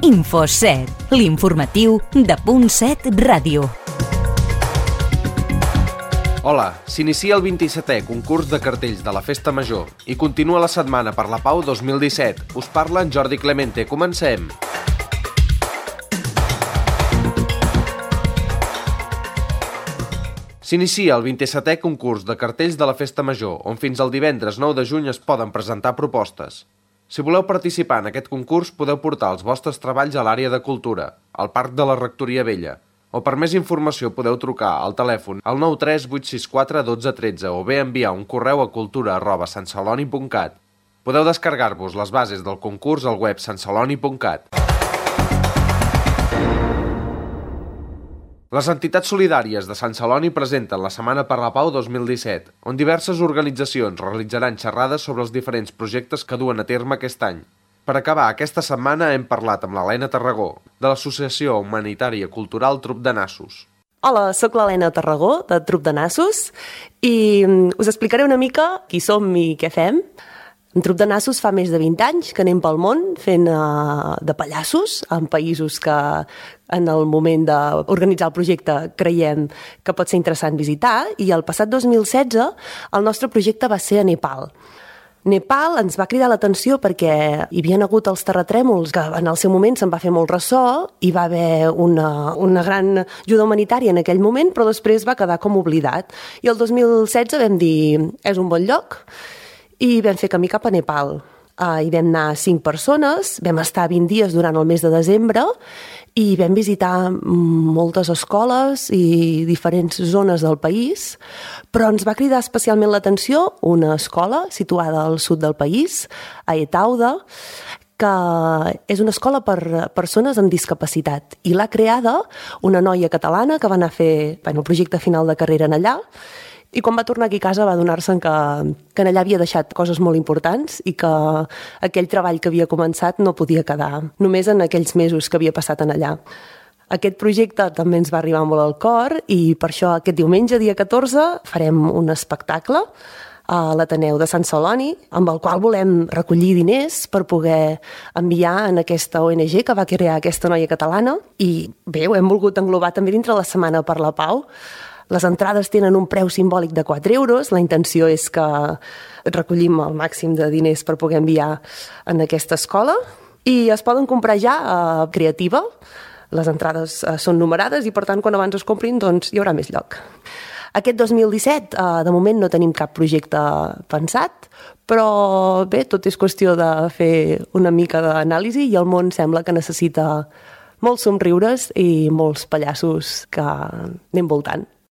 Info7, l'informatiu de .7 Ràdio. Hola, s'inicia el 27è concurs de cartells de la Festa Major i continua la Setmana per la Pau 2017. Us parla en Jordi Clemente. Comencem! S'inicia el 27è concurs de cartells de la Festa Major, on fins al divendres 9 de juny es poden presentar propostes. Si voleu participar en aquest concurs, podeu portar els vostres treballs a l'àrea de cultura, al Parc de la Rectoria Vella, o per més informació podeu trucar al telèfon al 93 864 1213 o bé enviar un correu a cultura@santceloni.cat. Podeu descarregar-vos les bases del concurs al web santceloni.cat. Les entitats solidàries de Sant Celoni presenten la Setmana per la Pau 2017, on diverses organitzacions realitzaran xerrades sobre els diferents projectes que duen a terme aquest any. Per acabar aquesta setmana hem parlat amb l'Helena Tarragó, de l'Associació Humanitària Cultural Trup de Nassos. Hola, sóc l'Helena Tarragó, de Trup de Nassos, i us explicaré una mica qui som i què fem. En Trup de Nassos fa més de 20 anys que anem pel món fent de pallassos en països que en el moment d'organitzar el projecte creiem que pot ser interessant visitar, i el passat 2016 el nostre projecte va ser a Nepal. Nepal ens va cridar l'atenció perquè hi havia hagut els terratrèmols, que en el seu moment se'n va fer molt ressò, hi va haver una gran ajuda humanitària en aquell moment, però després va quedar com oblidat. I el 2016 vam dir, és un bon lloc, i vam fer camí cap a Nepal. Hi vam anar 5 persones, vam estar 20 dies durant el mes de desembre i vam visitar moltes escoles i diferents zones del país, però ens va cridar especialment l'atenció una escola situada al sud del país, a Etauda, que és una escola per persones amb discapacitat, i l'ha creada una noia catalana que va anar a fer el projecte final de carrera en allà. I quan va tornar aquí a casa va adonar-se'n que en allà havia deixat coses molt importants i que aquell treball que havia començat no podia quedar només en aquells mesos que havia passat en allà. Aquest projecte també ens va arribar molt al cor i per això aquest diumenge, dia 14, farem un espectacle a l'Ateneu de Sant Celoni, amb el qual volem recollir diners per poder enviar en aquesta ONG que va crear aquesta noia catalana. I bé, ho hem volgut englobar també dintre la Setmana per la Pau. Les entrades tenen un preu simbòlic de 4 euros. La intenció és que recollim el màxim de diners per poder enviar en aquesta escola. I es poden comprar ja a Creativa. Les entrades són numerades i, per tant, quan abans es comprin, doncs hi haurà més lloc. Aquest 2017, de moment, no tenim cap projecte pensat, però bé, tot és qüestió de fer una mica d'anàlisi i el món sembla que necessita molts somriures i molts pallassos que anem voltant.